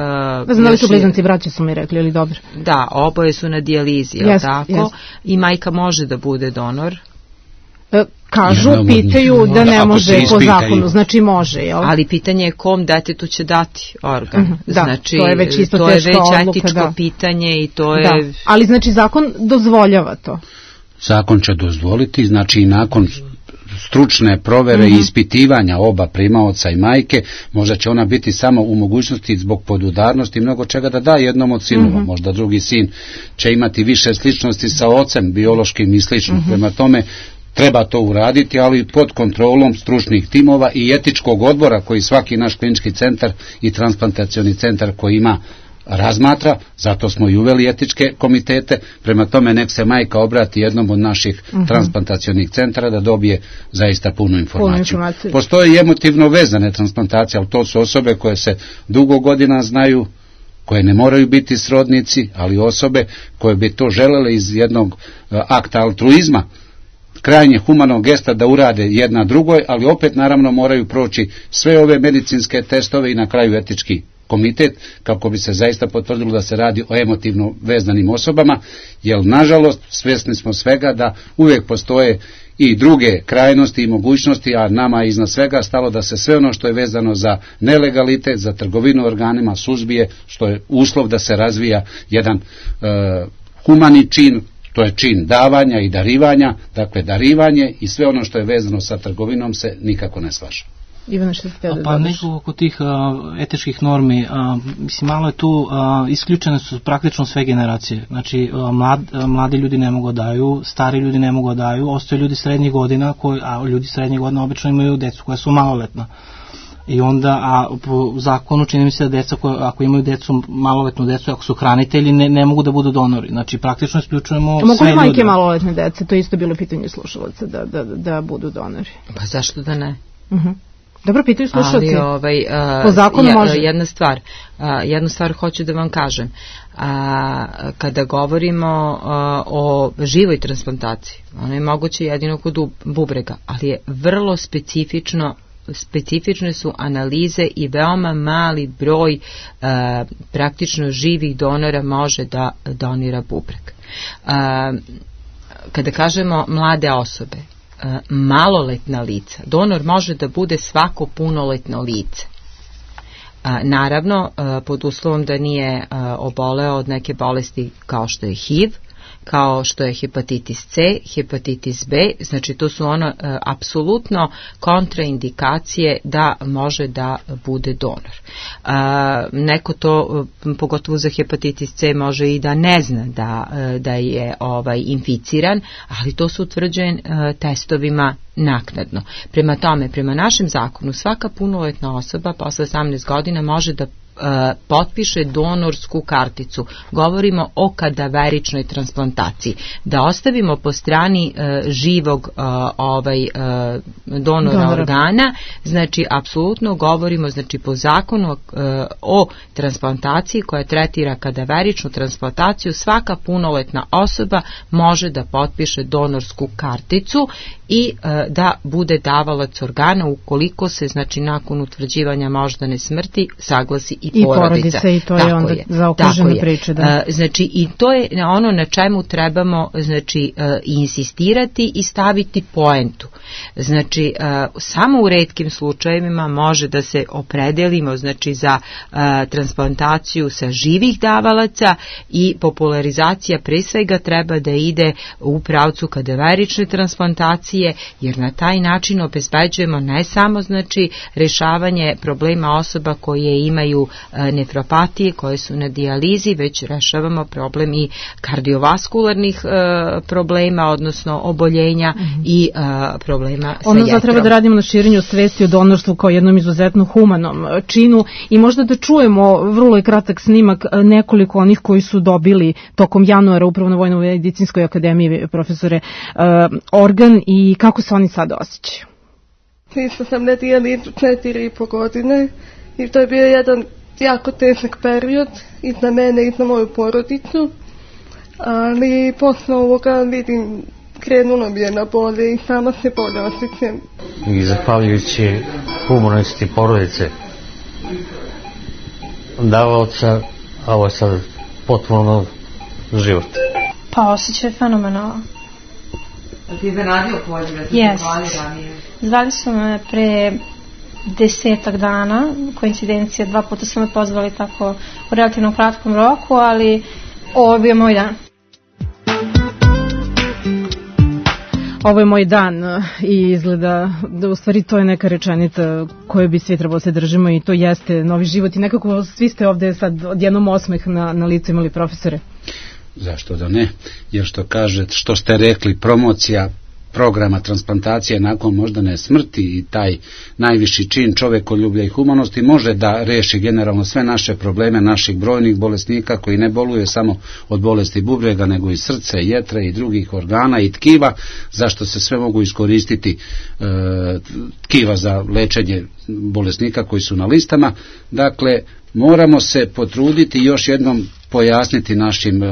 Znali su blizanci, braći su mi rekli, ili dobro? Da, oboje su na dijalizi, jel tako? I majka može da bude donor. Kažu, pitaju da ne može po zakonu, znači može, jel? Ali pitanje je kom detetu će dati organ. Znači, to je već isto to je već odluka, etičko pitanje i to je... Ali znači zakon dozvoljava to? Zakon će dozvoliti, znači i nakon stručne provere i ispitivanja oba primaoca i majke, možda će ona biti samo u mogućnosti zbog podudarnosti i mnogo čega da da jednom od sinova. Možda drugi sin će imati više sličnosti sa ocem biološkim i slično. Prema tome treba to uraditi, ali pod kontrolom stručnih timova i etičkog odbora koji svaki naš klinički centar i transplantacioni centar koji ima razmatra, zato smo i uveli etičke komitete, prema tome nek se majka obrati jednom od naših transplantacionih centara da dobije zaista punu informaciju. Postoje i emotivno vezane transplantacije, ali to su osobe koje se dugo godina znaju, koje ne moraju biti srodnici, ali osobe koje bi to želele iz jednog akta altruizma, krajnje humanog gesta da urade jedna drugoj, ali opet naravno moraju proći sve ove medicinske testove i na kraju etički komitet, kako bi se zaista potvrdilo da se radi o emotivno vezanim osobama, jer nažalost svjesni smo svega da uvijek postoje i druge krajnosti i mogućnosti, a nama je iznad svega stalo da se sve ono što je vezano za nelegalitet, za trgovinu organima suzbije, što je uslov da se razvija jedan humani čin, to je čin davanja i darivanja, dakle darivanje i sve ono što je vezano sa trgovinom se nikako ne slaže. Ivana, što ste da pa neko oko tih etičkih normi, mislim, malo je tu, isključene su praktično sve generacije. Znači, mladi ljudi ne mogu daju, stari ljudi ne mogu daju, ostaju ljudi srednjih godina, a ljudi srednjih godina obično imaju decu koja su maloletna. I onda, a po zakonu čini mi se da deca ako imaju decu, maloletnu decu, ako su hranitelji, ne mogu da budu donori. Znači, praktično isključujemo sve ljude. Mogu majke maloletne dece, to je isto bilo pitanje slušalaca, da budu donori. Pa zašto da ne? Dobro, pitaju slušalci. Ali po zakonu može. Jednu stvar hoću da vam kažem. Kada govorimo o živoj transplantaciji, ono je moguće jedino kod bubrega, ali je vrlo specifične su analize i veoma mali broj praktično živih donora može da donira bubreg. Kada kažemo mlade osobe, maloletna lica, donor može da bude svako punoletno lice. Naravno, pod uslovom da nije oboleo od neke bolesti kao što je HIV, kao što je hepatitis C, hepatitis B, znači to su apsolutno kontraindikacije da može da bude donor. Neko to, pogotovo za hepatitis C, može i da ne zna da je inficiran, ali to se utvrđuje testovima naknadno. Prema tome, prema našem zakonu, svaka punoletna osoba posle 18 godina može da potpiše donorsku karticu. Govorimo o kadaveričnoj transplantaciji. Da ostavimo po strani živog donora organa, znači apsolutno govorimo, znači po zakonu o transplantaciji koja tretira kadaveričnu transplantaciju, svaka punoletna osoba može da potpiše donorsku karticu i da bude davalac organa ukoliko se, znači nakon utvrđivanja moždane smrti, saglasi i porodica. I to je onda zaokružena priča. Da. Znači i to je ono na čemu trebamo, znači insistirati i staviti poentu. Znači samo u retkim slučajevima može da se opredelimo, znači za transplantaciju sa živih davalaca i popularizacija pre svega treba da ide u pravcu kadaverične transplantacije, jer na taj način obezbeđujemo ne samo, znači, rešavanje problema osoba koje imaju nefropatije, koje su na dijalizi, već rešavamo problem i kardiovaskularnih problema, odnosno oboljenja i problema sa jetrom. Onda treba da radimo na širenju svesti o donorstvu kao jednom izuzetno humanom činu i možda da čujemo, vrlo je kratak snimak, nekoliko onih koji su dobili tokom januara upravo na Vojno-medicinskoj akademiji, profesore, organ i kako se oni sad osjećaju. Isto sam na dijalizu 4,5 godine i to je bio jedan jako težak period i za mene i za moju porodicu, ali posle ovoga vidim krenulo mi je na bolje i sama se bolje osjećam. I zahvaljujući humanosti porodice davaoca, a ovo je sad potpuno život. Pa osjećaj fenomenalno. Ti je zanadio poziv, da ti yes. zvali ranije? Zvali su me pre 10 dana, koincidencija, 2 puta su me pozvali tako u relativno kratkom roku, ali ovo je bio moj dan. Ovo je moj dan i izgleda da u stvari to je neka rečenica koju bi svi trebalo se držimo i to jeste novi život i nekako svi ste ovde sad odjednom osmeh na licu imali, profesore. Zašto da ne? Jer što ste rekli, promocija programa transplantacije nakon moždane smrti i taj najviši čin čovekoljublja i humanosti može da reši generalno sve naše probleme naših brojnih bolesnika koji ne boluje samo od bolesti bubrega nego i srce, jetre i drugih organa i tkiva, zašto se sve mogu iskoristiti tkiva za lečenje bolesnika koji su na listama. Dakle, moramo se potruditi još jednom pojasniti našim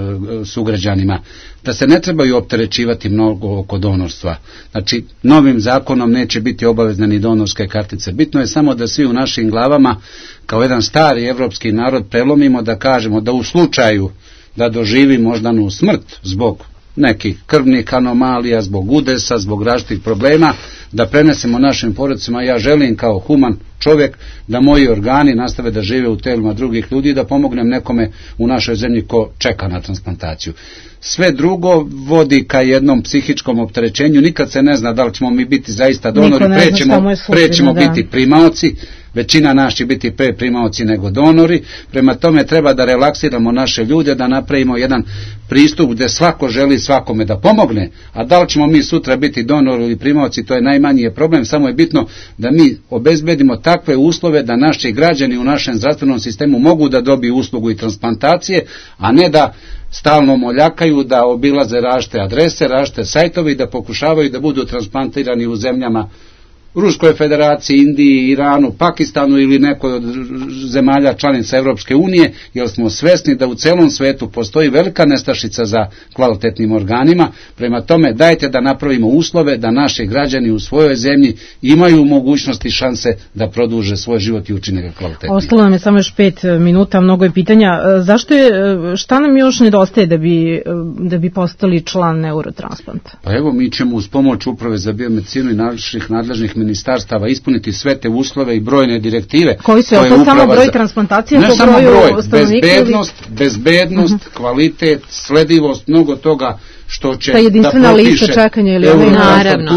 sugrađanima da se ne trebaju opterećivati mnogo oko donorstva. Znači, novim zakonom neće biti obavezne ni donorske kartice. Bitno je samo da svi u našim glavama, kao jedan stari evropski narod, prelomimo da kažemo da u slučaju da doživi moždanu smrt zbog nekih krvnih anomalija, zbog udesa, zbog različitih problema, da prenesemo našim porodicama. Ja želim kao human čovjek da moji organi nastave da žive u telima drugih ljudi i da pomognem nekome u našoj zemlji ko čeka na transplantaciju. Sve drugo vodi ka jednom psihičkom opterećenju, nikad se ne zna da li ćemo mi biti zaista donori, prećemo biti primaoci, većina nas će biti pre primaoci nego donori, prema tome treba da relaksiramo naše ljude, da napravimo jedan pristup gde svako želi svakome da pomogne, a da li ćemo mi sutra biti donori ili primaoci, to je najmanji problem, samo je bitno da mi obezbedimo takve uslove da naši građani u našem zdravstvenom sistemu mogu da dobiju uslugu i transplantacije, a ne da stalno moljakaju, da obilaze različite adrese, različite sajtove i da pokušavaju da budu transplantirani u zemljama Ruskoj federaciji, Indiji, Iranu, Pakistanu ili nekoj od zemalja članica Evropske unije, jer smo svesni da u celom svetu postoji velika nestašica za kvalitetnim organima. Prema tome, dajte da napravimo uslove da naši građani u svojoj zemlji imaju mogućnosti i šanse da produže svoj život i učine ga kvalitetnim. Ostalo nam je samo još 5 minuta, mnogo je pitanja. Šta nam još nedostaje da bi postali član Neurotransplanta? Pa evo, mi ćemo uz pomoć Uprave za biomedicinu i naših nadležnih ministarstava ispuniti sve te uslove i brojne direktive. Koji su, je to samo broj transplantacija? Ne samo broj, bezbednost, kvalitet, sledivost, mnogo toga što će da propiše. Jedinstvena lista čekanja ili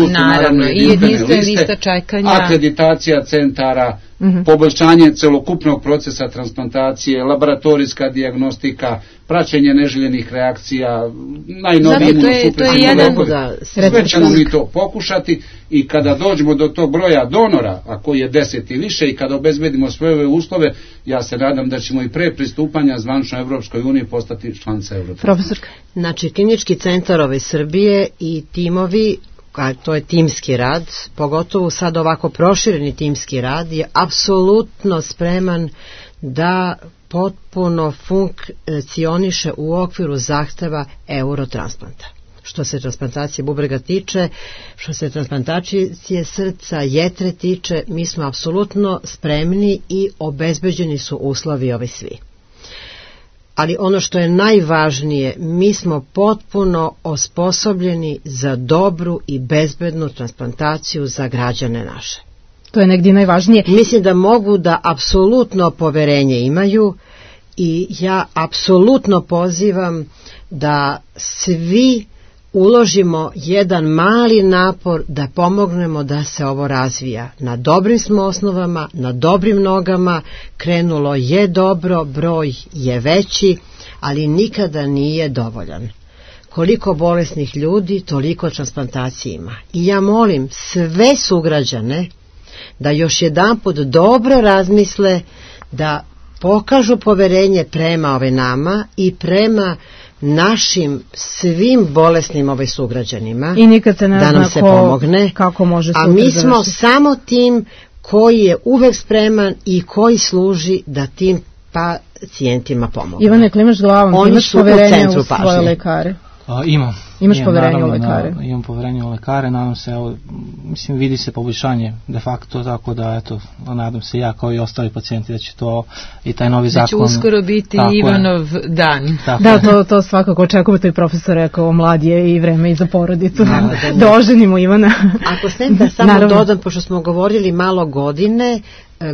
naravno, i jedinstvena lista čekanja, akreditacija centara, poboljšanje celokupnog procesa transplantacije, laboratorijska dijagnostika, praćenje neželjenih reakcija, najnoviji imunosupresivni lekovi. Sve ćemo mi to pokušati i kada dođemo do tog broja donora, a koji je 10 i više, i kada obezbedimo sve ove uslove, ja se nadam da ćemo i pre pristupanja zvanično Evropskoj uniji postati članica Evropske. Profesorka. Znači, Klinički centar ove Srbije i timovi, a to je timski rad, pogotovo sad ovako prošireni timski rad, je apsolutno spreman da potpuno funkcioniše u okviru zahteva eurotransplanta. Što se transplantacije bubrega tiče, što se transplantacije srca, jetre tiče, mi smo apsolutno spremni i obezbeđeni su uslovi ovi svi. Ali ono što je najvažnije, mi smo potpuno osposobljeni za dobru i bezbednu transplantaciju za građane naše. To je negdje najvažnije. Mislim da mogu da apsolutno poverenje imaju i ja apsolutno pozivam da svi uložimo jedan mali napor da pomognemo da se ovo razvija. Na dobrim smo osnovama, na dobrim nogama, krenulo je dobro, broj je veći, ali nikada nije dovoljan. Koliko bolesnih ljudi, toliko transplantacija ima. I ja molim sve sugrađane da još jedanput dobro razmisle, da pokažu poverenje prema ove nama i prema našim svim bolesnim sugrađanima, i nikad se ne da nam se pomogne, kako može a mi smo samo tim koji je uvek spreman i koji služi da tim pacijentima pomogne. Ivane, klimaš glavom, imaš poverenje u svoje lekare? Imaš poverenje u lekare? Imam poverenje u lekare, nadam se, mislim, vidi se poboljšanje de facto, tako da, eto, nadam se ja kao i ostali pacijenti da će to i taj novi zakon... Da će uskoro biti Ivanov dan. Da, to svakako očekujemo, to i profesor rekao, mlad je i vreme i za porodicu. Da oženimo Ivana. Ako snem da samo dodam, pošto smo govorili malo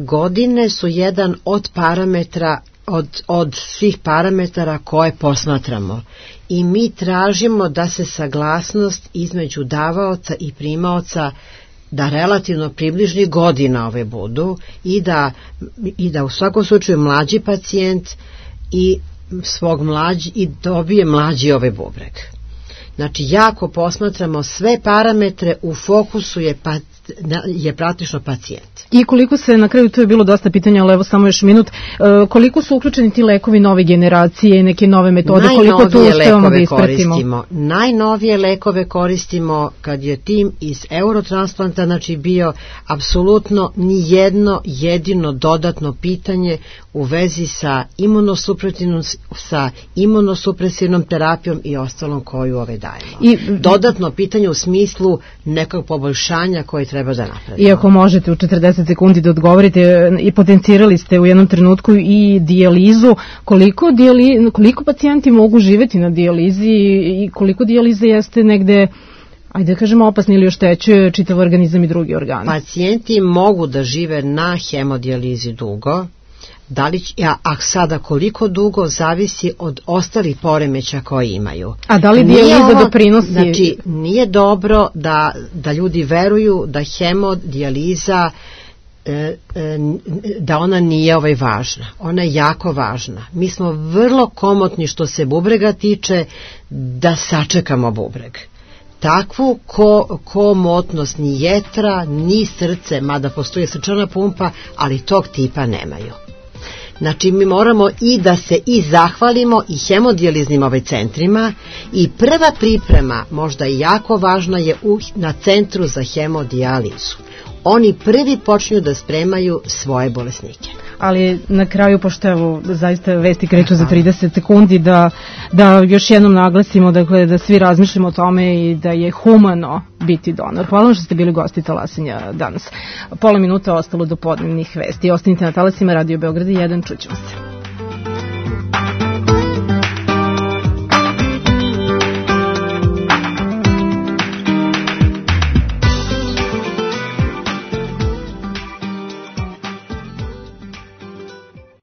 godine su jedan od parametra, od svih parametara koje posmatramo. I mi tražimo da se saglasnost između davaoca i primaoca, da relativno približni godina ove budu i da u svakom slučaju mlađi pacijent i dobije mlađi bubreg. Znači, jako posmatramo sve parametre, u fokusu je praktično pacijent. I koliko se, na kraju tu je bilo dosta pitanja, ali evo samo još minut, koliko su uključeni ti lekovi nove generacije i neke nove metode, koliko tu uspevamo da ispratimo? Najnovije lekove koristimo kad je tim iz eurotransplanta, znači bio apsolutno nijedno jedino dodatno pitanje u vezi sa imunosupresivnom terapijom i ostalom koju dajemo. I dodatno pitanje u smislu nekog poboljšanja koje treba da napravimo. Iako možete u 40 sekundi da odgovorite, i potencirali ste u jednom trenutku i dijalizu, koliko pacijenti mogu živeti na dijalizi i koliko dijalize jeste negde, ajde da kažemo, opasni ili oštećuje čitav organizam i drugi organ? Pacijenti mogu da žive na hemodijalizi dugo, a sada koliko dugo zavisi od ostalih poremeća koje imaju. A da li dijaliza doprinosi? Znači, nije dobro da ljudi veruju da hemodijaliza, da ona nije važna. Ona je jako važna. Mi smo vrlo komotni što se bubrega tiče da sačekamo bubreg. Takvu komotnost ni jetra, ni srce, mada postoji srčana pumpa, ali tog tipa nemaju. Znači, mi moramo i da se i zahvalimo i hemodijaliznim centrima, i prva priprema, možda i jako važna, je na centru za hemodijalizu. Oni prvi počinju da spremaju svoje bolesnike. Ali na kraju, pošto evo zaista vesti kreću za 30 sekundi, da još jednom naglasimo, dakle, da svi razmišljamo o tome i da je humano biti donor. Hvala vam što ste bili gosti Talasenja danas. Pola minuta ostalo do podnevnih vesti. Ostanite na talasima Radio Beograda 1, čućemo se.